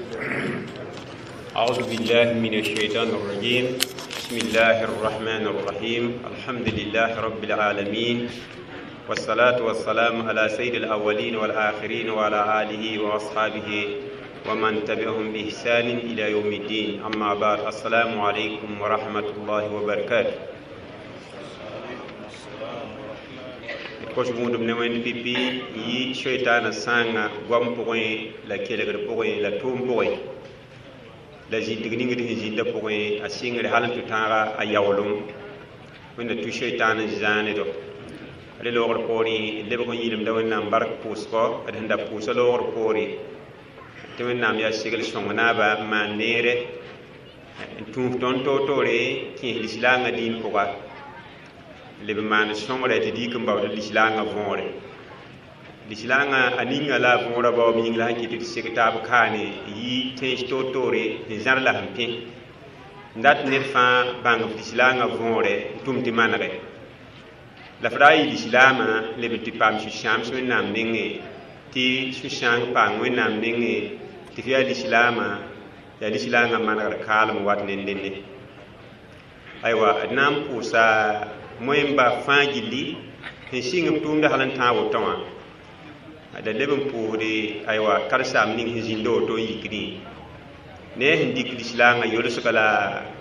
أعوذ بالله من الشيطان الرجيم. بسم الله الرحمن الرحيم. الحمد لله رب العالمين، والصلاة والسلام على سيد الأولين والآخرين وعلى آله وأصحابه ومن تبعهم بإحسان إلى يوم الدين. أما بعد، السلام عليكم ورحمة الله وبركاته. Kos gũudum ne wẽnd pipi yi soitaana sãanga goam pʋgẽ la kelgr pʋgẽ la tʋʋm pʋgẽ la zĩndg ning d sẽn zĩndã pʋgẽ a sɩngre hal n tʋ tãaga a yaoolem wẽnda tʋ soitaan n zãanedo re loogr poorẽ lebg n yĩlemda Wẽnnaam bark pʋʋsgɔ d sẽn da pʋʋsa loogr poore tɩ Wẽnnaam yaa segl sõng naaba n maan neere n tũuf tõnd toor-toore kẽes lislaangã dĩin pʋga leb n maan sõngrɛ tɩ dɩk n baood lislaangã võore lislaangã a ninga la a võorã baoob yĩng la sẽn kɩt tɩ seg taab kaane yi tẽns toor-toore n zãr la sẽn pẽ n dat ned fãa bãng f lislaangã võore n tʋm tɩ manege la f ra n yɩ lislaamã leb n tɩ paam sũ-sãams Wẽnnaam nengẽ tɩ sũ-sãang paam Wẽnnaam nengẽ tɩ f yaa lislaamã yaa lislaangã manegr kaalem wat ne nenne. Aywa, d na n pʋʋsa moẽmba fãa gilli sẽn sɩng b tʋʋmda hal n tãag woto wã da leb n pʋʋsde aywa karen-saam ning sẽn zĩnda woto n yikdẽ ne a sẽn dɩk lislaangã yolsga la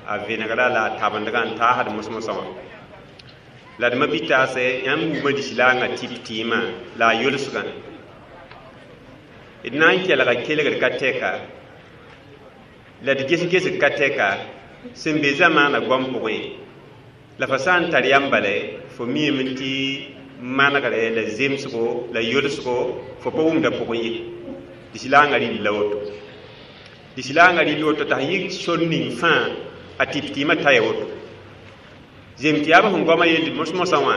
a vẽnegra la a tabendgã n taasd mos-mosã wã la d ma-bi-taasɛ yãmb wuma lislaangã tɩp tɩɩmã la a yolsgã d na n kelga kelgr ka tɛka la d ges-gesg ka tɛka sẽn be zamaana goam pʋgẽ la fa sã n tar yam bale fo miime tɩ manegre la zemsgo la yolsgo fo pa wʋmda pʋgẽ ye. Lislaangã rɩl la woto, lislaangã rɩl woto t'a sẽn yɩ sor ning fãa a tɩp tɩɩmã taya woto zem tɩ yaa b sẽn goamã yeld mos-mosã wã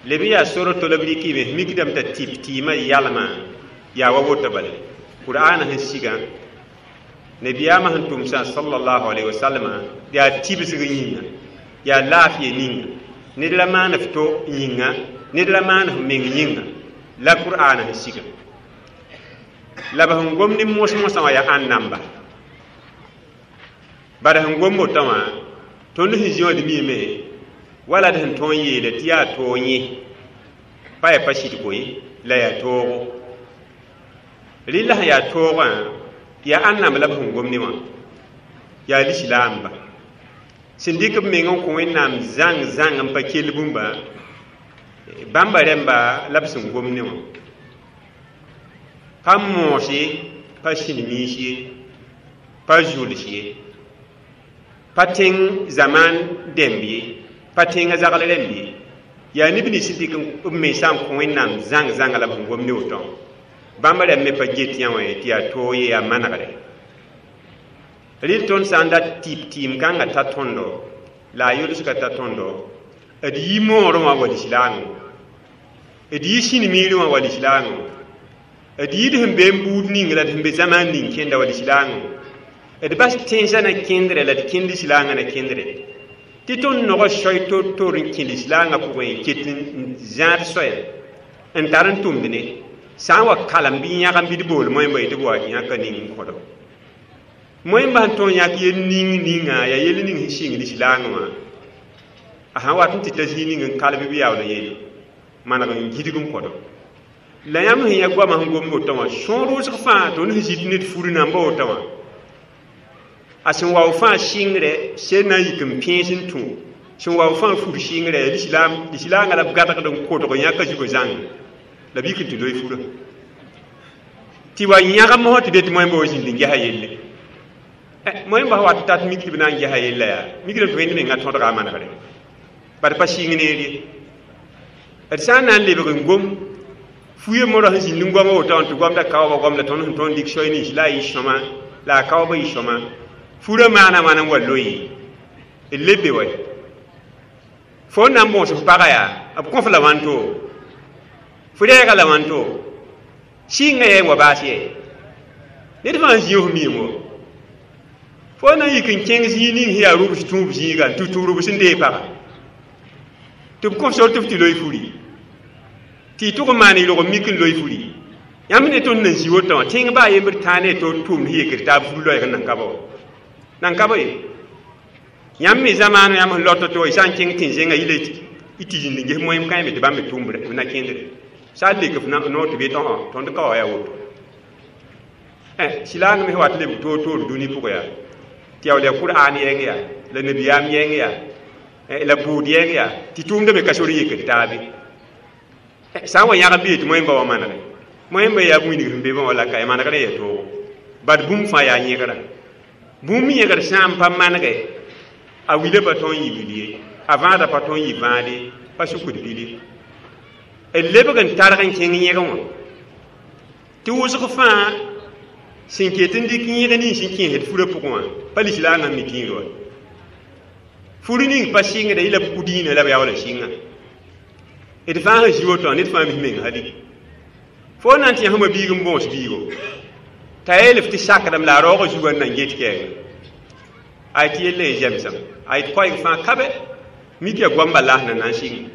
leb n yaa sor to la b rɩkɩme mikdame t'a tɩp tɩɩmã yalmã yaa wa woto bale Qur'aana sẽn sigã nabiyaamã sẽn tʋmsã sallallahu alaihi wasallam yaa tibsg yĩnga yaa laafɩya ninga ned la maan f to yĩnga ned la maan f meng yĩnga la Qur'aana sẽn siga la b sẽn gom ne mos-mosã wã yaa ãn namba bara sẽn gom wotã wã tõnd sẽn zĩ wã d miime wala d sẽn tõog n yeele tɩ yaa toog yẽ pa yaa pa sɩdgo ye la yaa toogo rɩla sẽn yaa toogã yaa ãn namb la b sẽn gom ne wã yaa lislaamba sẽn dɩk b meng n kõ Wẽnnaam zãng zãng n pa kell bũmba bãmba rẽmba la b sẽn gom ne wã pa moos ye pa sĩn-miis ye pa zuls ye pa tẽng zamaan dẽmb ye pa tẽngã zagl rẽmb ye yaa neb nins sẽn dɩk b mensã n kõ Wẽnnaam zãng zãnga la b sẽn gom ne woto bãmba rẽmb me pa get yã wã tɩ yaa toog ye yaa manegre rɩl tõnd sã n dat tɩp tɩɩm kãngã ta tõndo la a yolsgã ta tõndo d yi moorẽ wã wa lislaangõ d yi sĩn-miirẽ wã wa lislaangõ d yid sẽn be n buud ning la d sẽn be zamaan ning kẽnda wa lislaangõ d bas tẽnsã na kẽndrɛ la d kẽnd lislaangã na kẽndrɛ tɩ tõnd nogã soy tor-tor n kẽ lislaangã pʋgẽ ket n zãad soya n tar n tʋmd ne sã n wa kalem bɩ yãgem bɩ d bool moẽmba yetɩ b wa yãka ning n kõdo moẽmba sẽn tõog yãk yel ning ninga yaa yel ning sẽn sɩng lislaangã wã a sãn wat n tɩ ta zĩig ning n kalb b yaool n yeele maneg n gidg n kõdo la yãmb sẽn yã goamã sẽn gomd wotã wã sõor wʋsg fãa tõnd sẽn zĩt ned fur namba wotã wã a sẽn wao fãa sɩngrɛ sel na n yik n pẽes n tũ sẽn wao fãa fur sɩngrɛ lislaangã la b gadgd n kotg yãka zugã zãng la b yik n tɩ loe furã tɩ wa yãgem mosã tɩ be tɩ moẽmba wa zĩnd n gesa yelle moẽmba sã wat tat mik tɩ b na n gesa yella yaa mikdame tɩ wẽnd mengã tõdga a manegre bad pa sɩng neer ye d sã n na n lebg n gom fuye morã sẽn zĩnd n goama woto wã tɩ goamda kaoobã goam la tõnd sẽn tõnd dɩk soy nins la a yɩ sõma la a kaoobã yɩ sõma furã maana wãna n wa loe d lebe wa fo n na n bõos f paga yaa b kõ f la wãnto fo rɛɛga la wãnto sɩnga yɛ n wa baas yɛ ned fãa n zĩig f miime wo fo na n yik n kẽng zĩig ning sẽn yaa rʋbs tũub zĩiga n tũ tũ rʋbs n dee paga tɩ b kõ sor tɩ f tɩ loe furi tɩ y tʋg n maan y rog n mik n loe furi Yãmb ne tõnd nan zĩ woto wã tẽng baa yembr tãa ne to tʋʋmd yekd taab fur loɛɛg n nan ka ba wa nan ka ba ye yãmb me zamaano yãmb sẽn lot to y sã n kẽng tẽn-zẽngã yila y tɩ zĩnd n ges moẽm kãeme tɩ bãmb me tʋʋmd b na kẽndre sã n lek f noor tɩ b yet tõnd ka wa yaa woto silaang me wat lebg toor-toor dũni pʋgã yaa tɩ yaool yaa Kur'an yɛng yaa la nabiyaam yɛng yaa la buud yɛng yaa tɩ tʋʋmdã me ka sor yekd taabe sã n wa yãgem bɩ yetɩ moẽmba wa manege moẽmba yaa wĩndg sẽn be bã wala ka manegr n yaa toogo bad bũmb fãa yaa yẽgrã bũmb yẽgr sã n pa manege a wila pa tõe n yɩ wil ye a vãada pa tõe n yɩ vãad ye pa sukd bil ye d lebg n targ n kẽng yẽg wã tɩ wʋsg fãa sẽn ket n dɩk yẽg nins n kẽesd furã pʋgẽ wã pa lislaangã mi tĩir wa fur ning pa sɩngda yɩ la b ku dĩinã la b yaoola sɩnga d fãa sẽn zĩ woto wã ned fãa mis meng hali fo na n tɩ yãsma biig n bõos biigo t'a yeel f tɩ sakdame la a raoogã zugã n nan get kɛɛngã ay tɩ yella ye zɛmsem ay tɩ koɛɛg fãa kabe mik yaa goamba las na nan sɩng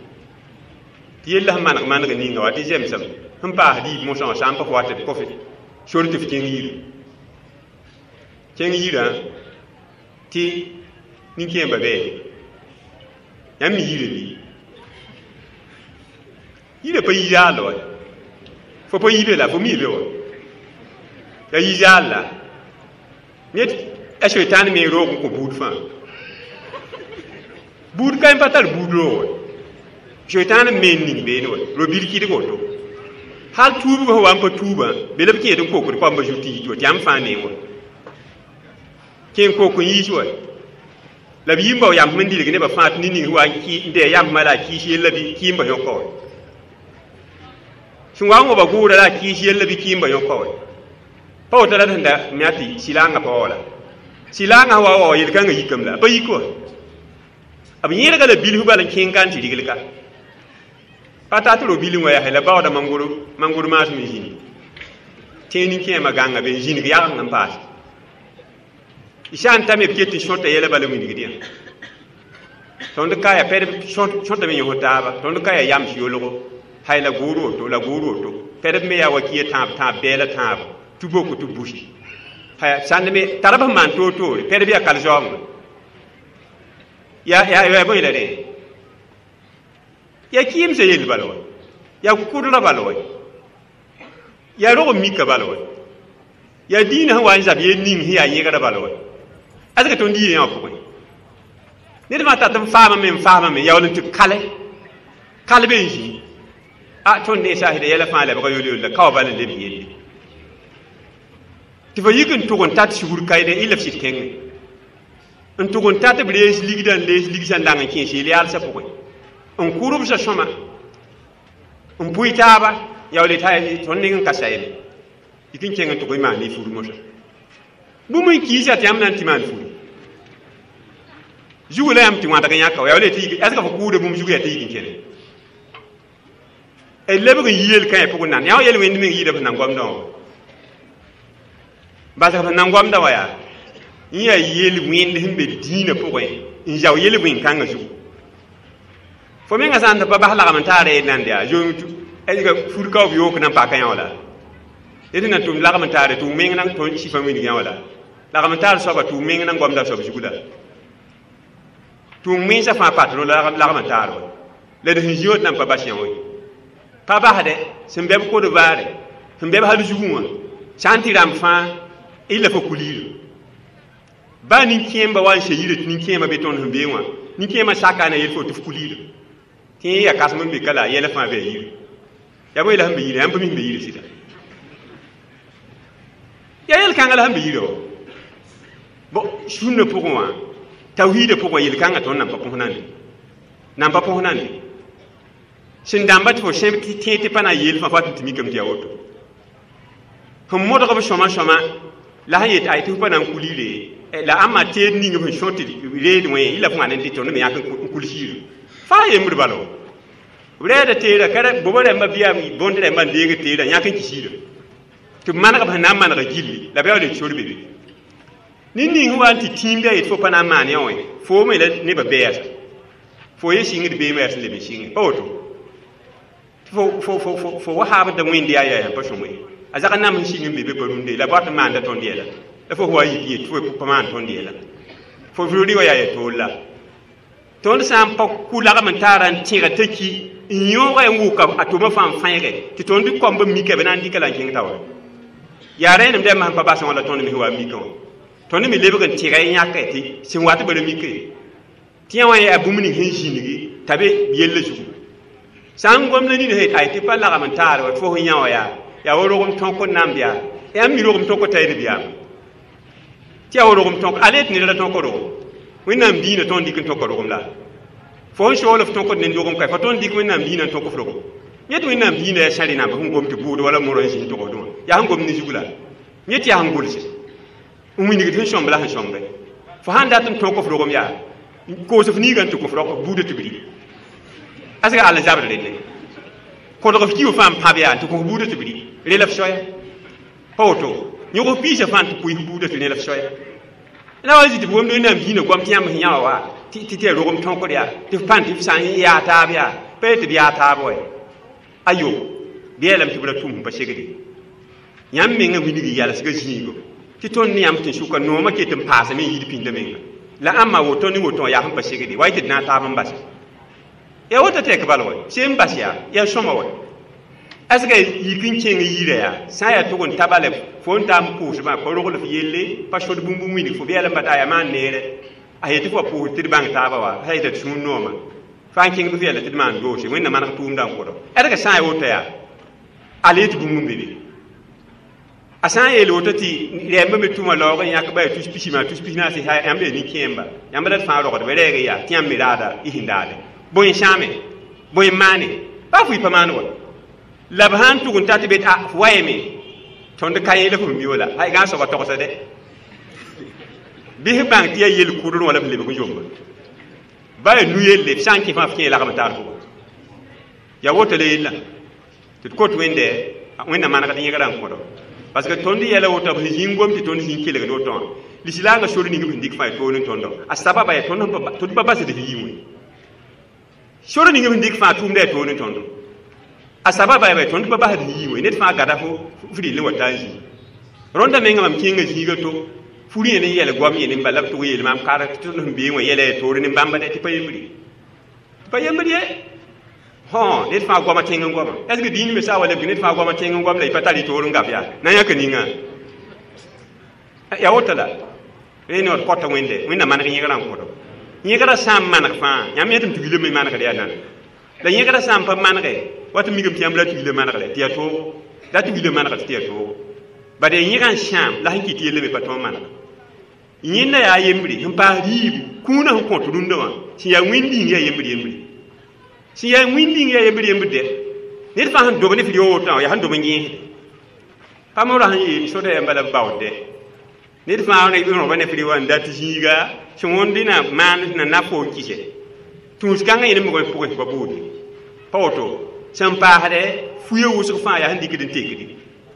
tɩ yella sẽn maneg maneg ninga wa tɩ zɛmsem sẽn paas diib mosã wã sã n pa fo wa tɩ b kõfe sor tɩ f kẽng yiri kẽng yirã tɩ nin-kẽembã bɛɛde yãmb mi yirã bɩ yirã pa yi zaal wa fo pa yi be la fo mi be wa ya yi zaal la ned a soitan me roog n kõ buud fãa buud ka pa tar buud roog wa soitan me n ning beene wa ro-bil kɩdg woto hal tuubgã sẽn wa n pa tuubã be la b kẽed n kokd koamba zut tɩ yit wa tɩ yãmb fãa neng wa kẽn kok n yiis wa la b yĩmba w yãmb n dilg nebã fãa tɩ ned ning sẽn wa n dɩ yãmbmã la a kɩɩs yella bɩ kɩɩmba yõka wa sẽn wa n waba gʋʋra la a kɩɩs yella bɩ kɩɩmba yõka wa pa woto la d sẽn da me tɩ sɩlaangã pa wa la sɩlaangã sẽn wa wa yel-kãngã yikame la a pa yik wa b yẽlga la bilf bal n kẽng ka n tɩ rigl ka pa tat ro-bil n wa yaa la baooda mangor maasem n zĩndi tẽeg nin-kẽemã gãnga be n zĩnig yageng n paase y sã n ta me b ket n sõta yɛla bala wĩnigd yã tõnd ka yaa pɛd sõtame yõs taaba tõnd ka yaa yams yolgo hay la gʋʋr woto la gʋʋr woto pɛdb me yaa wa kia tãab tãab bɛɛla tãab tɩ boko tɩ busi haya sãnd me tara b sẽn maan toor-toore pɛdb yaa kal-zaoongã yaa bõe la rẽ yaa kɩɩmsã yell bala wa yaa kʋdrã bala wa yaa rog n mika bala wa yaa dĩinã sẽn wa n zab yel ning sẽn yaa yẽgrã bala wa azka tõnd yɩ yã wã pʋgẽ ned fãa tat n faamame n faamame yaool n tɩ kale kal be n zĩ a tõnd ne saasda yɛla fãa lebga yol-yol la ka wa bal n leb yelle tɩ fo yik n tʋg n tat sugr kaɩdẽ y la f sɩd kẽngẽ n tʋg n tat b rees ligdã n lees ligsã n dang n kẽes yel-yaalsã pʋgẽ n kʋrbsã sõma n pʋɩ taaba yaool tõnd neng n ka sayme yik n kẽng n tʋg y maan y fur mosã bũmb n kiisa tɩ yãmb na n tɩ maan furi zugu la yãmb tɩ wãdg yãka wa yaool tɩ ɛsga fo kʋʋda bũmb zugu yaa tɩ yik n kẽne d lebg n yi yel-kãe pʋgẽ nan yã wa yel wẽnd meng yɩɩda f nan goamdã wã basg f nan goamdã wã yaa n yaa yel wẽnd sẽn be dĩinã pʋgẽ n zao yel wẽn-kãngã zugu fo mengã sã n tɩ pa bas lagm n taara yel nand yaa fur ka b yook nan paka yã wã la d na tʋm lagm n taare tɩ meng nan tõnd sɩfã wilg yã wã la lagm n taar soaba tɩ meng nan goamda soab zugu la tʋʋm wẽnsã fãa patron lagm n taar wa la d sẽn zĩ wã nan pa bas yã wã pa basdɛ sẽn bɛ b kod vaare sẽn bɛ b hal zugẽ wã sã n tɩ rãmb fãa y la fo kuliirã baa nin-kẽemba wa n se yirã tɩ nin-kẽemã be tõnd sẽn bee wã nin-kẽemã saka na yel fo tɩ f kuliirã tɩ yẽ yaa kãsem n be ka la a yɛla fãa bɩ a yire yaa bõe la sẽn be yirã yãmb pa mi sẽn be yirã sɩda yaa yel-kãngã la sẽn be yirã wã bon sũnã pʋgẽ wã tawhiidã pʋgẽ yel-kãngã tõnd nan pa põs nande nan pa põs nande sẽn dãmba tɩ fo sẽb tɩ tẽ tɩ pa na n yeel fãa fo tɩ tɩ mikame tɩ yaa woto sẽn modg b sõma sõma la sẽn yet ay tɩ f pa na n kuliire la ãmba teed ning b sẽn sõ tɩ reed wẽ y la f wãn n dɩ tõnd me yãk n kuls yirã fãa yembr bala wa b rɛɛda teera ka boba rãmba bɩa bõnd rãmba n deeg teerã yãk n kis yirã tɩ b maneg b sẽn na n manega gilli la b yaool n sor be be ned ning sẽn wa n tɩ tĩim yaa yet fo pa na n maan yã wã fo me la nebã bɛɛsa fo ye sɩngd beemã yaa sẽn leb n sɩnge pa woto fo wa haabda wẽnd yaa yaa pa sõma ye A zag n nam n sɩng n be be pa rũndã la b wat n maanda tõnd yɛla la fo wa yik yet fo pa maan tõnd yɛla fo rɩ wa yaa ya toor la tõnd sã n pa kʋ lagm n taara n tẽga t'a ki n yõoga n wʋka a tʋma fãa n fãeege tɩ tõnd kõmb n mika b na n dɩka la n kẽng taoore yaa rẽenem dɛmba sẽn pa basẽ wã la tõnd me wa mikã wã tõnd me lebg n tẽga n yãke tɩ sẽn wat bara mike tɩ yã wã yaa bũmb ning sẽn zĩnigi t'a be yella zugu sã n gom la nina sẽn ay tɩ pa lagm n taar wa fo sẽn yã wã yaa yaa wa rogem tõk n namb yaa yãmb mi rogem tõk t'a d biyaam tɩ yaa wa rogem tõk ale tɩ ned ra tõk rogem Wẽnnaam diinã tõnd dɩk n tõka rogem la fo n sool f tõkd ne rogem ka fa tõnd dɩk Wẽnnaam diinã n tõk f rogem yẽ tɩ Wẽnnaam diinã yaa sãri namba sẽn gom tɩ bʋʋd wala morã n zĩnd togsdẽ wã yaa sẽn gom ne zug la yẽ tɩ yaa sẽn gʋlse n wilgd sẽn sõmb la sẽn sõmbe fo sãn dat n tõk f rogem yaa koos f niigã n tɩ kõ f rog buudã tɩ bri asga all n zabd relle kõdg f kiu fãa n pãb yaa tɩ kõ f buudã tɩ bri rel f soaya pa woto yõg f piisã fãa tɩ pʋɩ f buudã tɩ rel f soaya la wa zĩ tɩ b womd Wẽnnaam diinã goam tɩ yãmb sẽn yã wã wa tɩ tɩ ya rogem tõkd yaa tɩ f pãn tɩ f sã n yaa taab yaa pa ye tɩ b yaa taab wa ayo bɩ yeelame tɩ b ra tʋm sẽn pa segde yãmb mengã wilg yalsgã zĩigo tɩ tõnd ne yãmb tɩ sʋka noomã ket n paasame n yid pĩndã menga la ãmba woto ne woto yaa sẽn pa segde wa y tɩ d na n taab n base ya woto tɩ yak bal wa sẽn n bas yaa yaa sõma wa asga yik n kẽng yirã yaa sã n yaa tʋg n ta bala fo n taa n pʋʋsbã pa rogl f yelle pa sod bũmb n wilg fo bɩ yaa la n bata yaa maan neere a yetɩ fo wa pʋʋsd tɩ d bãng taaba wa sã yeta tɩ sũur nooma fãa n kẽng bɩ f yɛla tɩ d maan doose Wẽnna maneg tʋʋmdã n kʋdɔ ãdga sã n yaa woto yaa ala yetɩ bũmb n be be a sã n yeel woto tɩ rɛɛmbã me tʋma laoog n yãk ba yaa tus pisi maa tus pis naase yãmb yaa nin-kẽemba yãmb la d fãa rogdba rɛɛg yaa tɩ yãmb me raada y sẽn daade bõe n sãame bõe n maane baa fo y pa maan wa la b sãn tʋg n ta tɩ be a f wayame tõnd ka yẽ la f mi wala hay gã soaba togsa dɛ bɩ f bãng tɩ yaa yel-kʋdr wã la b lebg n zomba ba yaa nu-yelle f sã n kẽ fãa f kẽ lagm taar pʋgã yaa woto la yella tɩ d kot Wẽnde Wẽnna manegd yẽgrã n kõdo parce que tõnd yɛla woto b sẽn zĩng gom tɩ tõnd zĩng kelgd woto wã lislaangã sor ning b sẽn dɩk fãa ya toor n tõndo a sababa yaa tõnd pa basd f yɩ wẽ sor ning b sẽn dɩk fãa tʋʋmda ya toor n tõndo a sababa yaa tõnd pa basd yɩ wẽ ned fãa gada fo f rɩl n wa taa n zĩ rõnda menga mam kẽnga zĩiga to fur yẽ ne yɛl goam yẽ ne bala b tʋg yeel maam kar tɩ tõnd sẽn bee wã yɛla ya toor ne bãmba dɛ tɩ pa yembr ye tɩ pa yembr ye hõ ned fãa goama tẽng n goama est ce que dĩin me sã wa lebg ned fãa goama tẽng n goam la y pa tar y toor n gaf yaa na n yãk ninga yaa woto la rẽ ne d kɔta Wẽnde Wẽnna maneg yẽgrã n kõdo yẽgrã sã n maneg fãa yãmb yẽtame tɩ wilame manegd yaa nana la yẽgrã sã n pa manege wat n mikame tɩ yãmb la tɩ wila manegre tɩ yaa toogo la tɩ wila manegd tɩ yaa toogo bad yaa yẽgã n sãam la sẽn kɩt yella me pa tõog manega yẽnda yaa yembre sẽn paas rɩɩbu kũunã sẽn kõt rũndã wã sẽn yaa wẽnd ning yaa yembr yembre sẽn yaa wĩnd ning yaa yembr yembr dɛ ned fãa sẽn dob ne f rɩ wotã yaa sẽn dob n yẽesde pa morã sẽn yeel soda yãmba la b baood dɛ ned fãa rõba ne f rɩ wa n dat zĩiga sẽn wõnd na maan na na fo n kɩsɛ tũus-kãngã yẽ ne mogẽ pʋgẽ pa buude pa woto sẽn paasdɛ fuya wʋsg fãa yaa sẽn dɩkd n tekdi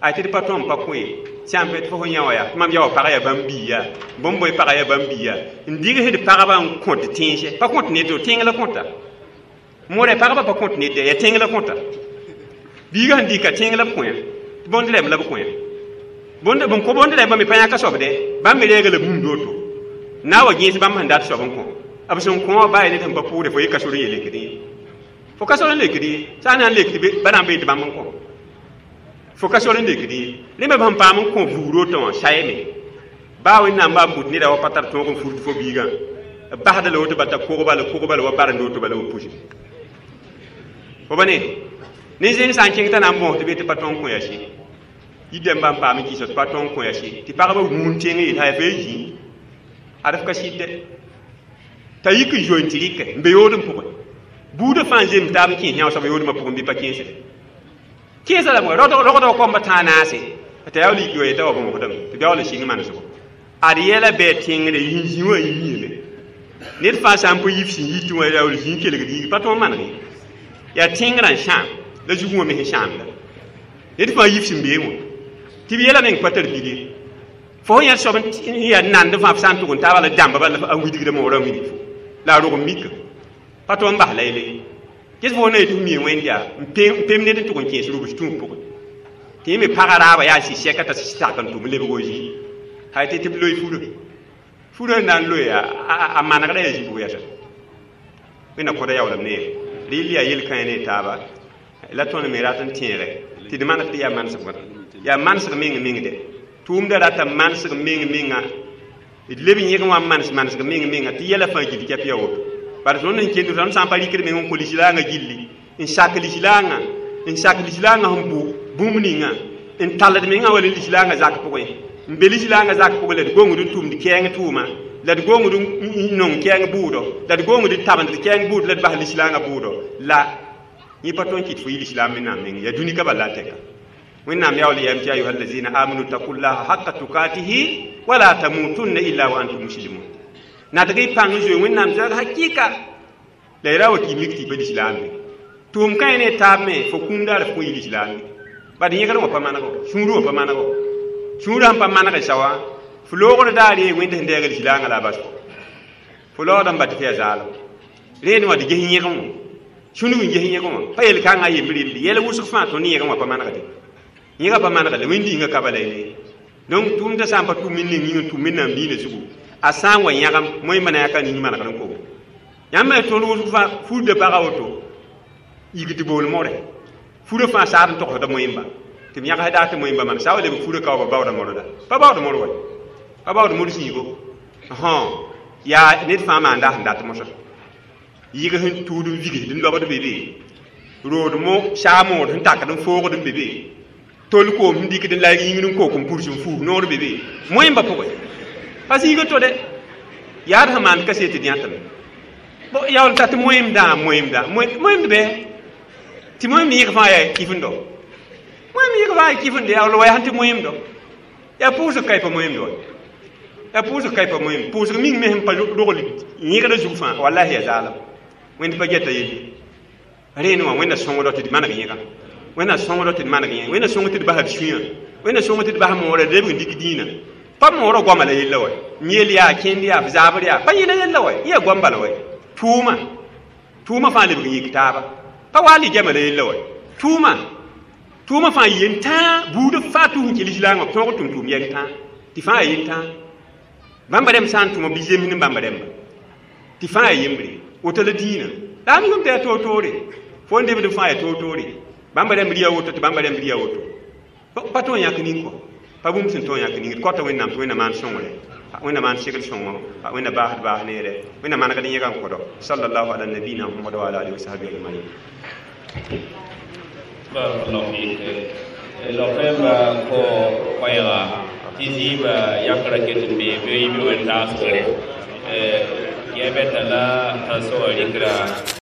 ay tɩ d pa tõm pa kõ ye sã n tɩ fo sẽn yã wã yaa tɩ mam yaoa pagã yaa bãmb biiya bõmb bõe pagã yaa bãmb biiya n digsd pagba n kõt tẽnsɛ pa kõt ned tẽng la kõta mõrɛ pagba pa kõt ned yaa tẽng la kõta biigã sẽn dɩka tẽng la b kõ tɩ bõnd rɛm la b kõ bõnd bõn kõ bõnd rɛmbã me pa yãka soabdɛ bãmb me reega la bũmb woto na wa gẽes bãmb sẽn dat soab n kõ b sẽn kõ wã baa ned sẽn pa pʋʋre fo ye ka sor n yelekd ye fo ka sor n lekd ye sã n na n lekd ba na n bee tɩ bãmb n kõ fo ka sor n lekd ye rẽ me b sẽn paam n kõ vugr woto wã sayame baa Wẽnnaam baa n but neda wa pa tar tõog n furd fo biigã b basda la woto bal t'a kogba la kogba la wa barend woto bala wa puse fo ba ne nin-zẽng sã n kẽng t'a na n bõos tɩ be tɩ pa tõog n kõ yaa sɩ yidãmbã n paam n kɩsa tɩ pa tõog n kõ yaa sɩ tɩ pagba wũun tẽng yeel yaa fo zĩ ad f ka sɩd dɛ t'a yik n zoe n tɩ rɩkɛ n be yood n pʋgẽ buudã fãa n zeem taab n kẽes yã soab yoodmã pʋgẽ bɩ pa kẽesd kẽesa lame rogdg koamba tãa naase t'a yaa lik yoe t'a wa bõmsdame tɩ beool n sɩng manesgo ad yɛla bɩ tẽngre yĩn zĩ wã yiime ned fãa sã n pa yif sẽn yitẽ wã yaool zĩ kelgd yĩng pa tõog maneg ye yaa tẽngrã n sãam la zugẽ wã me sẽn sãamda ned fãa yif sẽn bee wã tɩ b yɛla meng pa tar bil ye fo sẽn yãd soab n yaa nand fãa f sã n tʋg n taaba la dãmba bala a wilgda moorã wilg fo la a rog n mika pa tõog n bas la yele ges fo na yetɩ f mii Wẽnd yaa n pem ned n tʋg n kẽes rubs tũub pʋgẽ Tɩ yẽ me paga raaba yaa sɩ sɛka t'a sak n tʋm lebg zĩ hay tɩ tɩ b loe furã furã na n loe a manegda yaa zĩbg yɛsa wẽnna kõda yaoolem neere rɩl yaa yel-kãe ne taaba la tõnd me rat n tẽege tɩ d maneg tɩ yaa manesg wã yaa manesg meng meng de tʋʋmda rata manesg meng menga d leb yẽg wã manes manesg meng menga tɩ yɛla fãa gil kɛp ya woto bara tõnd sẽn kend tõnd sã n pa rɩkd meng n kõ lislaangã gilli n sak lislaangã n sak lislaangã sẽn bʋ bũmb ninga n tallд mengã wala lislaangã zak pʋgẽ n be lislaangã zak pʋgẽ la d gongd n tʋmd kɛɛng tʋʋma la d gongd n nong kɛɛng bʋʋdɔ la d gongd n tabend kɛɛng bʋʋd la d bas lislaangã bʋʋdɔ la yẽ pa tõe n kɩt fo yɩ lislaam mennaam meng yaa dũni ka bal la a tɛka wẽnnaam yaool yam tɩ ayuha allazina amanu taqullaha haqa tukatihi wala tamutunna illa wa antum muslimun nadg y pãng zoe wẽnnaam zag hakɩka la y ra wa tɩ y mik tɩ y pa lislaambe tʋʋm kãe ne taab me fo kũum daar f kõ yɩ lislaambe bad yẽgr wã pa manego sũurẽ wã pa manego sũurã sẽn pa maneg sawa fo loogr daar ye wẽnd sẽn deeg lislaangã la a bas fo fo laoodã n bat tɩ yaa zaalem rẽen wã d ges yẽgẽ wã sũnug n ges yẽgẽ wã pa yel-kãngã yembr yembre yɛl wʋsg fãa tõnd yẽgẽ wã pa manegde yẽga pa manegde wẽnd-yĩngã ka bala ye donc tʋʋmdã sã n pa tʋm neng yĩng n tʋm wẽnnaam diinã zugu a sã n wa yãgem moẽmba na yaka ning manegr n kogo yãmb me tõnd wʋsg fãa furda baga woto yigd bool more furã fãa saad n togsda moẽmba tɩ b yãgs daa tɩ moẽmba maan sa wa leb furã ka wa ba baooda morda pa baood mor wa pa baood mor sĩigo yaa ned fãa maan daa sẽn dat mosã yɩg sẽn tuud n vigsd n lobd be be rood mo saa mood sẽn takd n foogd n be be tol koom sẽn dɩkd n layg yĩngr n kook n purs n fuus noor be be moẽmba pʋgẽ pa zĩiga to de yaad sẽn maand kaset d yãtame yaool ta tɩ moẽmdã moẽmdã moẽmd bɩ tɩ moẽmd yẽg fãa yaa kifendo moẽmd yẽg fãa yaa kifende yaool wa yaa tɩ moẽmdo yaa pʋʋsg ka y pa moẽmd wa yaa pʋʋsg ka y pa moẽmd pʋʋsg ming me sẽn pa rogl yẽgda zug fãa wallahi yaa zaalem wẽnd pa geta yelle rẽen wã wẽnna sõngdɔ tɩ d maneg yẽga wẽnna sõngdɔ tɩ d maneg yẽ wẽnna sõng tɩ d bas d sũyã wẽnna sõng tɩ d bas moorã d lebg n dɩk dĩinã pa moorã goama la yella wa yel yaa kẽnd yaa b zaabr yaa pa yẽla yella wa yã goam bala wa tʋʋma tʋʋma fãa lebg n yik taaba pa waa ligama la yella wa tʋʋma tʋʋma fãa yen tãa buud fãa tʋs n kɩ lislaangã b tõog tʋm tʋʋm yɛng tãa tɩ fãa yen tãa bãmba rẽmb sã n tʋma bɩ zems ne bãmba rẽmba tɩ fãa yaa yembre woto la dĩinã la a migame tɩ yaa toor-toore fo n debd fãa yaa toor-toore bãmba rẽmb rɩ woto tɩ bãmba rẽmb rɩ woto pa tõe n yãk ning kɔ pa bũmb sẽn tõe n yãk ning d kõta wẽnnaam tɩ wẽnna maan sõngre wẽnna maan segl sõngo wẽnna baasd baas neere wẽnna manegd yẽga n kõdo sallallahu ala nabina muhammad wa ala alihi wa sahbihi ajmain. Barakallahu fik. Lɔfɛnba ko koɛɛga tɩ zɩɩbã yakra ket n be bɩ bɩ wẽn-taasgre yɛbɛta la tãnsoogã rɩkra.